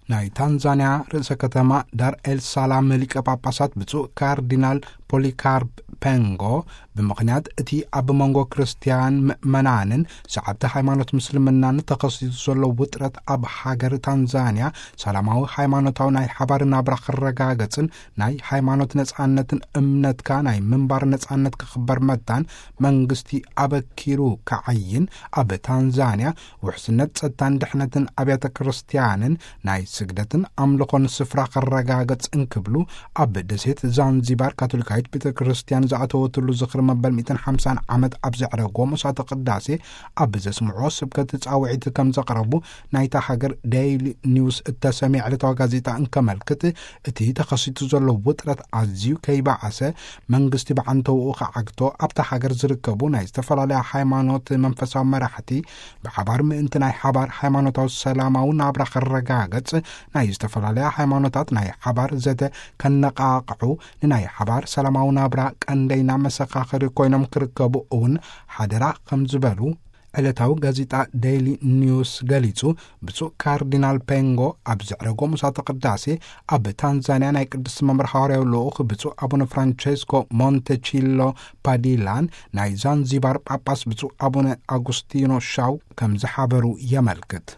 ናይ ታንዛንያ ርእሰ ከተማ ዳር ኤል ሳላም ሊቀ ጳጳሳት ብፁዕ ካርዲናል ፖሊካርፕ ፔንጎ፣ ብምኽንያት እቲ ኣብ መንጎ ክርስትያን ምእመናንን ሰዓብቲ ሃይማኖት ምስልምናን ተኸሲቱ ዘሎ ውጥረት፣ ኣብ ሃገር ታንዛንያ ሰላማዊ ሃይማኖታዊ ናይ ሓባር ናብራ ክረጋገጽን ናይ ሃይማኖት ነጻነትን እምነትካ ናይ ምንባር ነጻነት ክኽበር መታን መንግስቲ ኣበኪሩ ክዓይን፣ ኣብ ታንዛንያ ውሕስነት ጸጥታን ድሕነትን ኣብያተ ክርስትያንን ናይ ስግደትን ኣምልኾን ስፍራ ክረጋገጽ እንክብሉ፣ ኣብ ደሴት ዛንዚባር ካቶሊካዊት ቤተ ክርስትያን ዝኣተወትሉ ዝኽሪ መበል ሚእትን ሓምሳን ዓመት ኣብ ዘዕረጎ መስዋዕተ ቅዳሴ ኣብ ዘስምዖ ስብከት ጻውዒት ከም ዘቕረቡ ናይታ ሃገር ዴይሊ ኒውስ እተሰምየ ዕለታዊ ጋዜጣ እንከመልክት፣ እቲ ተኸሲቱ ዘሎ ውጥረት ኣዝዩ ከይበዓሰ መንግስቲ ብዓንተውኡ ክዓግቶ፣ ኣብታ ሃገር ዝርከቡ ናይ ዝተፈላለያ ሃይማኖት መንፈሳዊ መራሕቲ ብሓባር ምእንቲ ናይ ሓባር ሃይማኖታዊ ሰላማዊ ናብራ ክረጋገጽ፣ ናይ ዝተፈላለያ ሃይማኖታት ናይ ሓባር ዘተ ከነቓቕሑ፣ ንናይ ሓባር ሰላማዊ ናብራ ቀንደይና መሰኻኽሪ ኮይኖም ክርከቡ እውን ሓደራ ከም ዝበሉ ዕለታዊ ጋዜጣ ዴይሊ ኒውስ ገሊጹ። ብፁዕ ካርዲናል ፔንጎ ኣብ ዘዕረጎ ምሳተ ቅዳሴ፣ ኣብ ታንዛንያ ናይ ቅድስቲ መንበር ሃዋርያዊ ልኡኽ ብፁዕ ኣቡነ ፍራንቸስኮ ሞንተቺሎ ፓዲላን ናይ ዛንዚባር ጳጳስ ብፁዕ ኣቡነ ኣጉስቲኖ ሻው ከም ዝሓበሩ የመልክት።